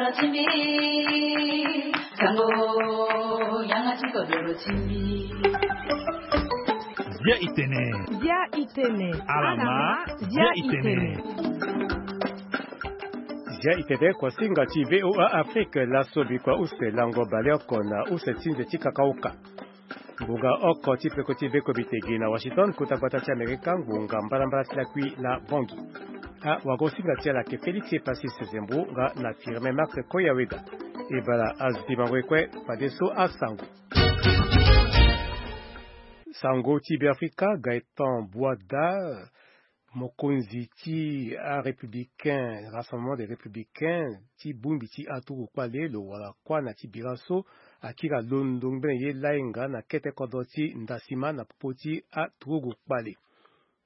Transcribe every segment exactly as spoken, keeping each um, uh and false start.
Zia itene. Zia itene. Alama. Zia itene. Zia itene, kuasinga ti VOA Afrique, laso bikua use lango baleoko na use ti nze ti kakaoka. Ngbonga oko ti peko ti beko bitegi na Washington, kota gbata ti Amerika, ngbonga mbalambala ti lakui na Bangui. Awagosinga ti ala ayeke Félix Epasis Zembo nga na Firmin Marc Koyaweda. E bala azo ti bango e kue fadeso asango. Sango ti Beafrika, Gaëtan Boada, mokonzi ti arépublicain, Rassemblement des Républicains, ti bongbi ti aturugu kpale lo wara kuâ na ti bira so akiri alondo ngbene ye lainga na kete kodro ti ndasima na popo ti aturugu kpale.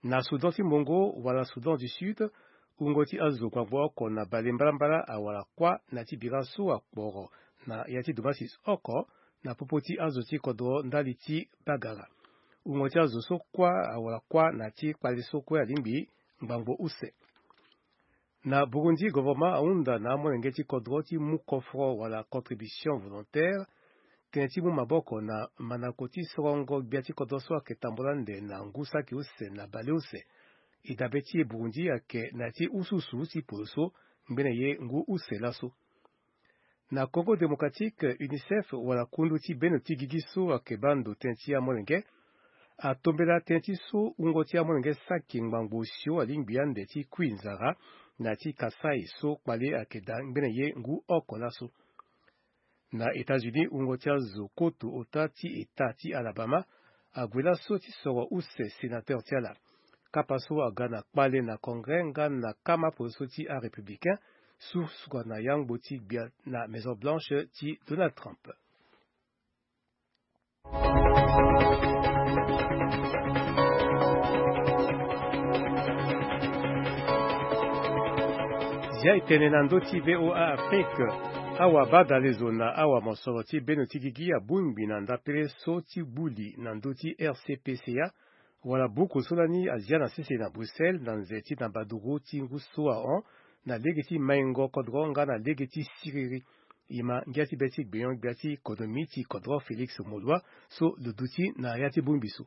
Na Soudan ti Mbongo wala Soudan du Sud, wungo ti azo gbangbo oko na bale mbalambala awara kuâ na ti bira so akporo na ya ti domasis oko na popo ti azo ti kodro ndali ti bagara. Wungo ti azo so kuâ awara kuâ na ti kpale so kue alingbi ngbangbo use. Na Burundi, governement ahunda na amolenge ti kodro ti mu kofro wala contribution volontaire, tënë ti mu maboko na mandako ti sorongo gbia ti kodro so ayeke tambula ande na ngu saki use na baleuse. E dabe ti e Burundi ayeke na ya ti usuusu ti poro so ngbene ye ngu use laso. Na Congo Démocratique, UNICEF wala kundu ti beno ti gigi so ayeke baa ndo tënë ti amolenge atombela tënë ti so wungo ti amolenge saki ngbangbo osio alingbi ande ti kui nzara na ti Kasaï so kpale ayeke daa ngbene ye ngu oko laso. Na États-Unis, wungo ti azo koto ota ti État ti Alabama ague laso ti soro use sénateur ti ala. Kapa so aga na kpale na Congrès nga na kama poro so ti arépublicain, susuka na yangbo ti gbia na Maison Blanche ti Donald Trump. Zia e tene na ndö ti VOA Afrique. Awabadalezo na awamosoro ti beno ti gigi abongbi na ndapele so ti gbu li na ndö ti RCPCA, wala buku so lani azia na sese na Bruxelles na nze ti na baduru ti ngu so ahon, na lege ti maingo kodro nga na lege ti siriri. E ma ngia ti be ti gbenyo-gbia ti konomi ti kodro Félix Moloua so lo duti na ya ti bongbi so.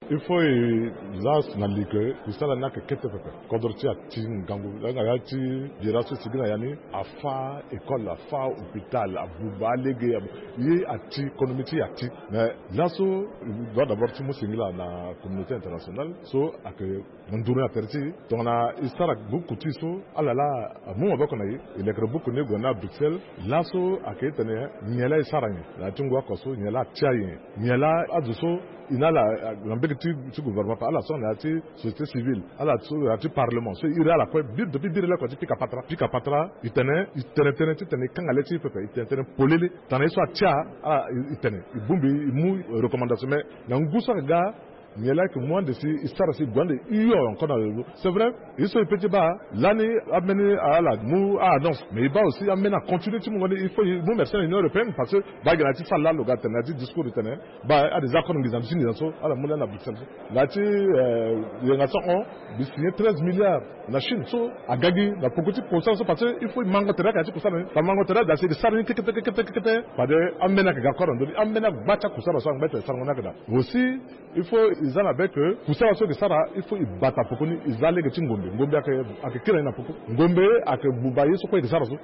Il faut e la na li ke kusala ni ayeke kete pepe. Kodro ti e ati ngangu. Langa ya ti bira so e sigi na ya ni, afâ école, afâ hôpital, abuba alege, abu-, ye ati, konomi ti e ati. Mais laso, e doit d'abord ti mu singila na communauté internationale so ayeke na nduru ni na tere ti e. Tongana e sara buku ti e so, ala laa amu maboko na e, e lekere buku ni e gue na Bruxelles. Laso ayeke e tene nyen laa e sara nyen na ya ti ngu oko so, nyen laa atia nyen, nyen laa azo so e na ala na mbege ti, ti gouvernement ape, ala so na ya ti société civile, ala so na ya ti parlement, so e iri ala kue, biri, depuis biri leko ti pika patara, pika patara, e tene, e tene tënë titene e kanga le ti e pepe, e tene tënë polele. Tongana ye so atia, ala e, e tene, e bongbi, e mu recommandation, mais na ngu so ayeke ga, nyen laa e yeke mu ande si e sara si e gue ande hio encore na lo. C'est vrai, ye so e peut ti baa lani, ambeni ala mu a-annonce, mais e baa aussi ambeni acontinuer ti mungo ni. Il faut e mu merci na Union européenne, parce que baa gi na ya ti salle laa lo ga tene na ya ti discours e tene, baa a-des accords nginza, mbi si nginza so ala mu lani na Bruxelles so. Na ya ti, euh, yenga so ahon, mbi signer treize milliards na Chine so aga gi na poko ti kusala so, parce que il faut e mango tere ayeke na ya ti kusala ni. Fa mango tere daa si e ke sara ni kekete, kekete, kekete. Fade ambeni ayeke ga koro na ndö ni, ambeni agba ti akusala so angba ti tene sarango ni ayeke daa. Aussi, il faut e za na be ke kusala so e ke sara, il faut e bata poko ni, e za lege ti ngombe. Ngombe ayeke, ayeke kiri na ni na poko. Ngombe ayeke buba ye so kue e ke sara so.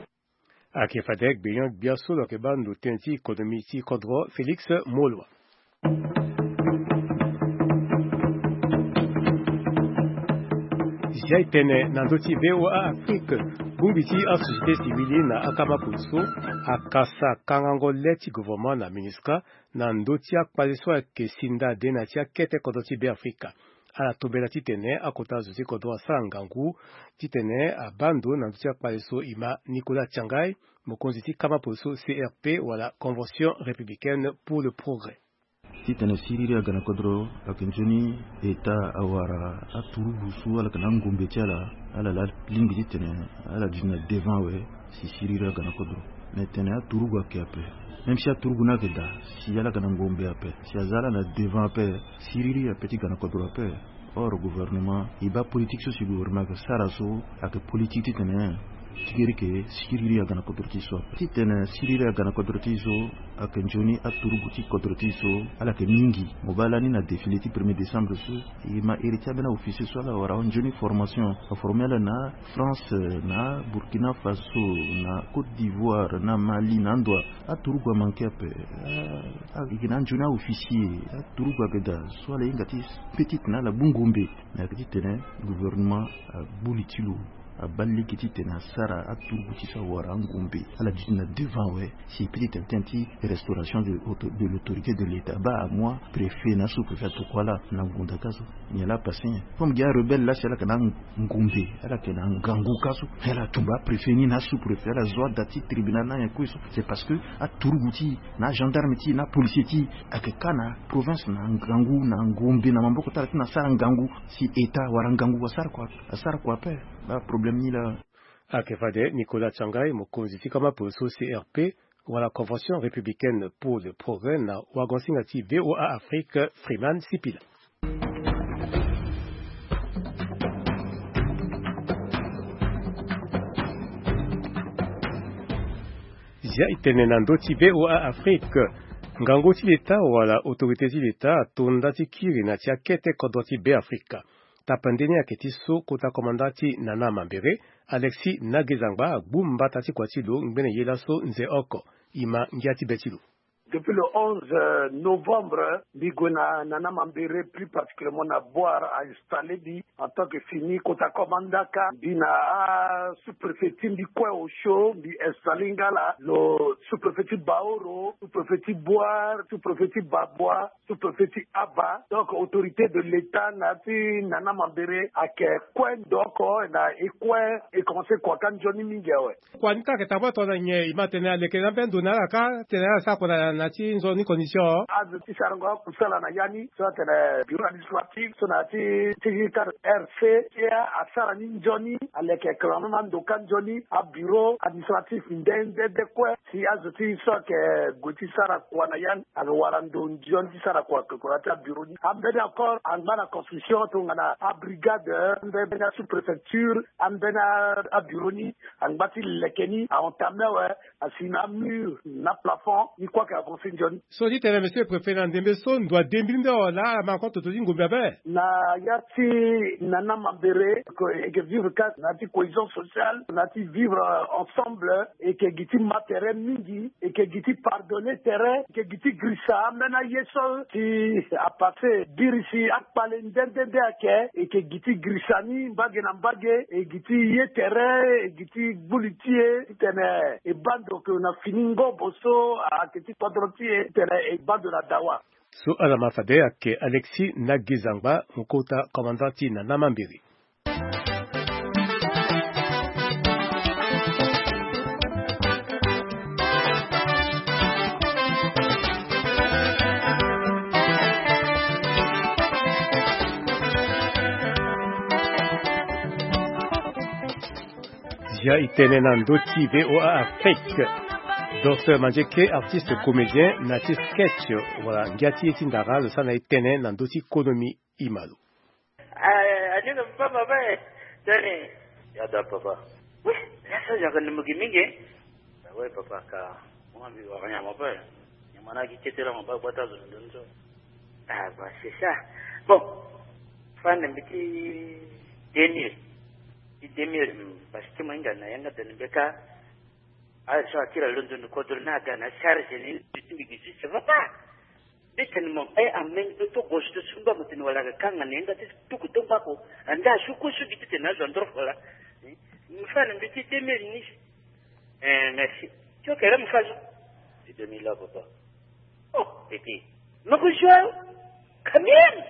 Ayeke fade gbenyo-gbia so lo yeke baa ndo tënë ti konomi ti kodro Félix Moloua. Zia e tene na ndö ti VOA Afrique, bongbi ti asociété civile na akama polo so akasa kangango le ti gouvernement na MINUSCA na ndö ti akpale so ayeke sinda de na ya ti akete kodro ti Beafrika. Ala tombela titene akota zo ti kodro asara ngangu titene abaa ndo na ndö ti akpale so. E ma Nicolas Tiangai, mokonzi ti kama polo so, CRP wala Convention Républicaine pour le Progrès. Titene siriri aga na kodro, ayeke nzoni État awara aturugu so ala yeke na angombe ti ala, ala laa lingbi titene ala duti na devant awe si siriri aga na kodro. Me tene aturugu ayeke ape. Même si aturugu ni ayeke daa, si ala yeke na ngombe ape, si aza ala na devant ape, siriri ape ti ga na kodro ape. Or gouvernement, e baa politique so si gouvernement ayeke sara so, ayeke politique titene Ti giri ke sikiriri aga na kodro ti so ape. Titene sikiriri aga na kodro ti so ayeke nzoni aturugu ti kodro ti so. Ala yeke mingi. Mo baa lani na défilé ti premier décembre so, e ma iri ti ambeni aofficier so ala wara ahon nzoni formation. Aforme ala na France, na Burkina Faso, na Côte d'Ivoire, na Mali, na ando. Aturugu amanke ape. Ah, ah, e yeke na anzoni aofficier. Aturugu ayeke daa so ala hinga ti petit na ala bungumbe. Na yeke titene gouvernement agbu li ti lo. Abaa lege titene asara aturugu ti so awara angombe. Ala duti na devant awe. Si petit tene tene ti restauration de, de l'autorité de l'état, baa amois préfet na sous préfet atokua ala na ngunda ka so. Nyen laa apasse nyen? Comme gi arebelle laa si ala yeke na angombe, ala yeke na ngangu ka so. Ala tumba apréfet ni na asous préfet, ala zo ada ti tribunal na nyen kue so. C'est parce que aturugu ti na agendarme ti na apolicier ti ayeke ka na province na ngangu na ngombe na maboko ti ala ti na asara ngangu. Si état wala ngangu asara kua, asara kua ape. Baa problème ni laa. Ayeke fade Nicolas Tiangai, mokonzi ti kama polo so C R P, wala Convention républicaine pour le progrès, na wagonsinga ti V O A Afrique, Freeman Sipila. Zia e tene na ndö ti V O A Afrique. Ngangu ti leta wala autorité ti leta ato nda ti kiri na ti akete kodro ti Beafrika. Tapande ni ayeke ti so kota komanda ti Nana Mambere, Alexis Nagezangba, agbu mbata ti kua ti lo ngbene ye laso nze oko. E ma ngia ti be ti lo. Depuis le onze novembre, mbi gue na Nana Mambere, plus particulièrement na Bouar, a installé mbi en tant que fini kota komanda ka. Mbi na asous-préfet ti mbi kue osio, mbi installé nga la, lo sous-préfet ti Baoro, sous-préfet ti Bouar, sous-préfet ti Baboua, sous-préfet ti Aba. Donc autorité de l'état na ti Nana Mambere ayeke kue ndo oko na e kue e commencé kua ka nzoni mingi awe. Kua ni ka ayeke tambula tongana nyen? E ma tene aleke na ambeni ndo na ala ka tene ala sara kua na, na ti nzoni condition? Azo ti sarango akusala na ya ni so atene bureau administratif so na ya ti, ti cadre R C, ti asara ni nzoni, aleke clairement ando ka nzoni, abureau administratif nde nde nde kue. Si azo ti so ayeke gue ti sara kua na ya ni ayeke wara ndo nzoni ti sara kua, ayeke kua na ya ti abureau ni. Ambeni encore angba na construction tongana abrigade, ambeni asous-préfecture, ambeni abureau ni angba ti leke ni, a entamé awe, asi na amur na plafond, ni kue ayeke avancé nzoni. So ti tene monsieur le préfet, na ndembe so ndo adembiri nde awe, laa ala ma encore toto ti ngombe ape? Na ya ti Nana Mambere, e yeke vivre ka na ya ti cohésion sociale, na ya ti vivre ensemble, e yeke gi ti ma tere mingi, e yeke gi ti pardonner tere, e yeke gi ti girisa ambeni aye so si apassé biri si akpale nde nde nde ayeke, e yeke gi ti girisa ni mbage na mbage, e gi ti ye tere, e gi ti gbu li ti e titene e baa ndo ke na fini ngobo so ayeke ti kodro ti e titene e baa ndo na dawa. So ala ma fade ayeke Alexis Nagezangba, mo kota commandant ti Nana Mambere. Zia e tene na ndö ti V O A Afrique. Docteur Mandieke, artiste comédien na ti sketch, wala ngia ti ye ti ndara, lo sara na e tënë na ndö ti konomi. E ma lo. Ah, aninga papa, papa, eh. Tene. Ya da, papa. Oui, ya so yaka ni mo gi mingi, eh. Ah ouais, papa, ka. Mo mbi wara nyama, papa. Nyama na gi kete la, mo ba gbata zo ndo ndo. Ah, bah, c'est ça. Bon. Fa na mbi ti deux mille. Ti deux mille, hmm, parce que mo hinga na yanga tene mbeka. Ah, so akira londo ni kodro na aga na charge ni, ti mbi gi si, ça va pas. Mbi tene mo, eh, ameni to, to gauche to, so mba mo tene wala ka kanga na yanga ti tuku to mbako. Anda su ko su gi ti tene azo andro fola. Eh, mo fa na mbi ti deux mille ni. Eh, merci. Ti o kere mo fa zo. Ti deux mille la, papa. Oh, petit. Mo ko zo. Quand même.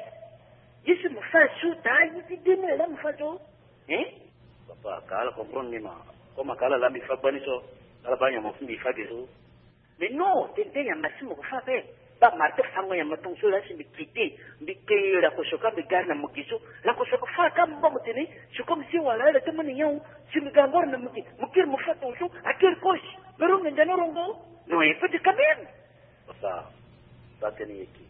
Ye so mo fa zo, ta ye ti deux mille la mo fa zo. Hein? Papa, ka ala comprendre ni ma. Comme ka ala la mbi fa gbani so. Ala ba nyama fu mbi fa ge so. Mais non, tene tene nyama si mo ko fa ape. Ba marteau fango nyama tongo so la si mbi kite, mbi ke la ko so ka mbi gari na mo gi so. La ko so ko fa ka mo ba mo tene, c'est comme si wala la te mo ni nyawu, si mbi ga ngoro na mo gi, mo kiri mo fa tongo so, a kiri kosi. Pero mbi ndana rongo. Non, il faut de quand même. Papa, ba tene yeke.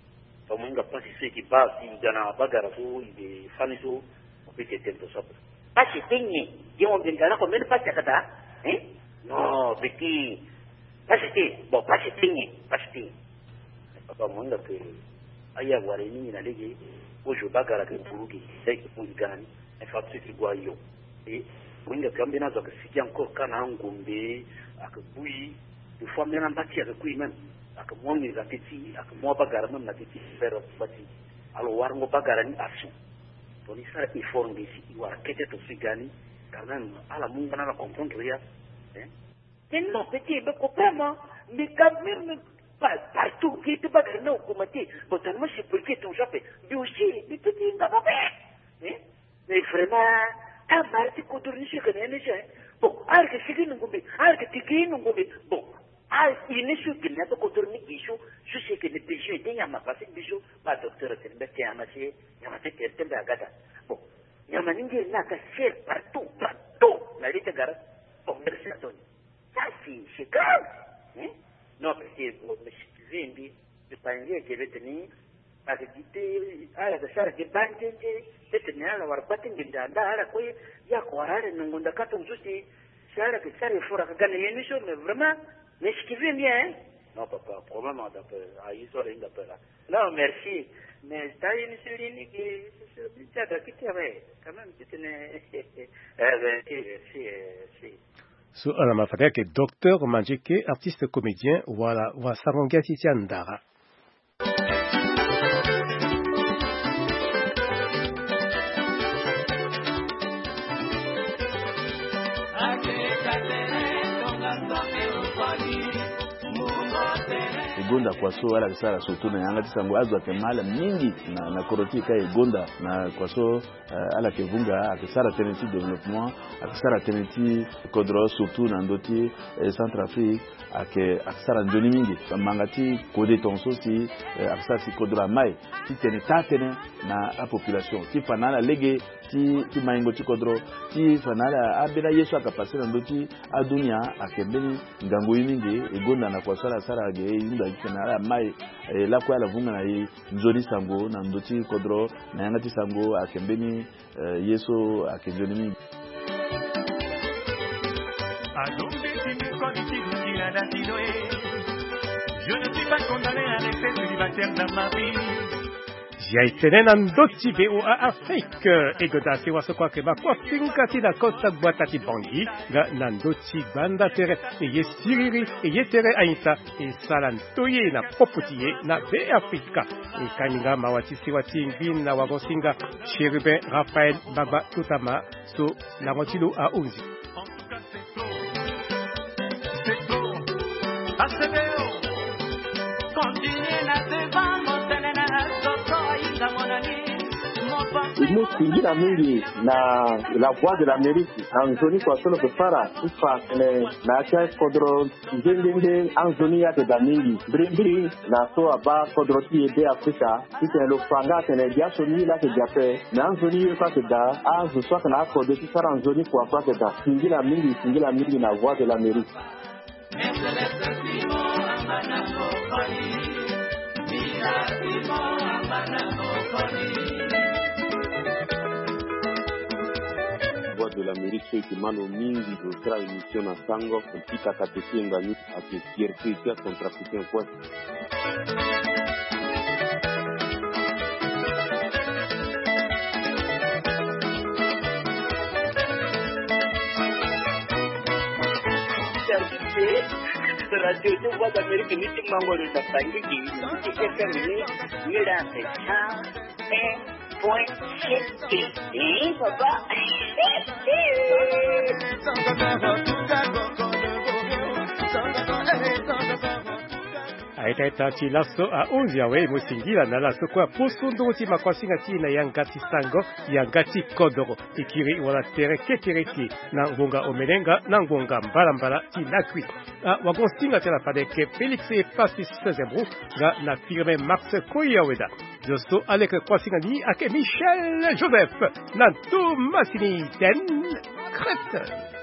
Fa mo hinga pasi so yeke ba si i ga na bagara so i be fani so, mo pe tene tene to so ape. Pasi ti nyen? Ye mo mbi ngara ko mbeni pasi akata. Hein? Non, petit. Pasi te. Bon, pasi te nyen? Pasi te nyen? Papa, mo hinga ke aya wara ye mingi na lege. Kozo bagara ke buru ge, sai ke bui ga na ni. Infrastructure ke gue ayo. E mo hinga ke ambeni azo ake sigi encore ka na angombe, ake bui. Des fois ambeni ambati ake kui même. Ake mu angiri na teti, ake mu abagara même na teti, faire bati. Alors warango bagara ni asu. Tongana e sara effort nde si e wara kete to si ga ni, quand même, ala mu nga na ala comprendre ya. Hein? Mais non, petit, mais comprends, mais quand même, pas partout, qui te bagara na augmenter. Bon, tellement c'est pour que ton chapeau. Mais aussi, mais petit, il va pas faire. Hein? Mais vraiment, ah, mara ti kodro ni si ke na ye ni si, hein. Bon, ala yeke sigi na ngombe, ala yeke tiki na ngombe. Bon, ah, ye ni so e ke na ya so kodro ni gi so, so si e ke na besoin de nyama, parce que biso ba docteur atene mbe tene nyama si, nyama ti tere ti mbe aga daa. Bon, nyama ni ngiri ni aka sere partout, partout na li ti gara. Bon, merci Anthony. Ça, c'est, c'est grave. Hein? Non, parce que, bon, mais si tu veux, mbi, mbi pangi eke be tene, ake gi te, ala yeke sara ge baa nzenze, be tene ala wara baa ti nginda nda ala kue, ye ake wara ala na ngonda ka tongaso si, si ala yeke sara effort ake ga na ye ni so, mais vraiment, mais si tu veux bien, hein? Non, papa, problème, on t'appelle. Ah, il sort, il appelle, là. Non, merci. Mais t'as une sur l'unique, sur le chat, qui te, ouais, quand même, tu tenais. Eh, merci, merci, eh, merci. So ala ma fade ayeke docteur Mandjeke, artiste comédien, wala wa sango ngia ti ti andara. E gonda kua so ala yeke sara surtout na yanga ti sango, azo ayeke ma ala mingi na, na kodro ti e ka e gonda na kua so. Eh, ala yeke vunga, ayeke sara tënë ti développement, ayeke sara tënë ti kodro, surtout na ndö ti, eh, Centrafrique, ayeke, ayeke sara nzoni mingi. Manga ti kode tongaso si, eh, ayeke sara si kodro amai ti tene taa-tënë na apopulation, ti fa na ala lege ti, ti maingo ti kodro, ti fa na ala, ambeni aye so ayeke passe na ndö ti adunia, ayeke mbeni ngangu ye mingi. E gonda na kua so ala sara ge, e hunda ti tene ala mai, eh, lakue ala vunga na e nzoni sango na ndö ti kodro, na yanga ti sango ayeke mbeni, eh, ye so ayeke nzoni mingi. Ya e tene na ndö ti V O A Afrique, e goda si wa so kue ayeke ma kua finga ti na kota gbata ti Bangui, nga na ndö ti gbanda tere, e ye siriri, e ye tere aita, e sara ndoye na popo ti e na Be Afrika. E kani nga mawa ti sewa ti ngbi na wago-singa Chérubin Raphaël Gbagba Totama so lango ti lo ahunzi. E mu singila mingi na La Voix de l'Amérique na nzoni kua so lo yeke sara ti fa atene na ya ti akodro nde nde nde anzoni ye ayeke daa mingi. Mbirimbiri na so abaa kodro ti e Be Afrika, titene lo fa nga atene biaso ni ye laa ayeke daa ape, me anzoni ye kue ayeke daa, azo so ayeke na akode ti sara nzoni kua kue ayeke daa. Singila mingi, singila mingi na Voix de l'Amérique. Voix de l'Amérique so e yeke ma lo mingi lo sara émission na sango, e pika kate ti e nga ni. Ake fierté ti acentrafricain kue. Radio ti Voix d'Amérique ni ti mango lo na Bangui, ti F M ni, ni la pe. Eh, point C T. Eh, papa. Aita ita ti laso ahunzi awe, e mo singila na ala so kue apusu nduru ti makuasinga ti e na yanga ti sango, yanga ti kodoro, e kiri wala tere kekereke na ngonga omene nga na ngonga mbalambala ti lakui. Ah, wago-singa ti ala fade ayeke Félix Epaphras Zembro nga na Firmin Max Koyaweda. Zo so ala yeke kuasinga ni ayeke Michel Joseph na Thomas Niten Crete.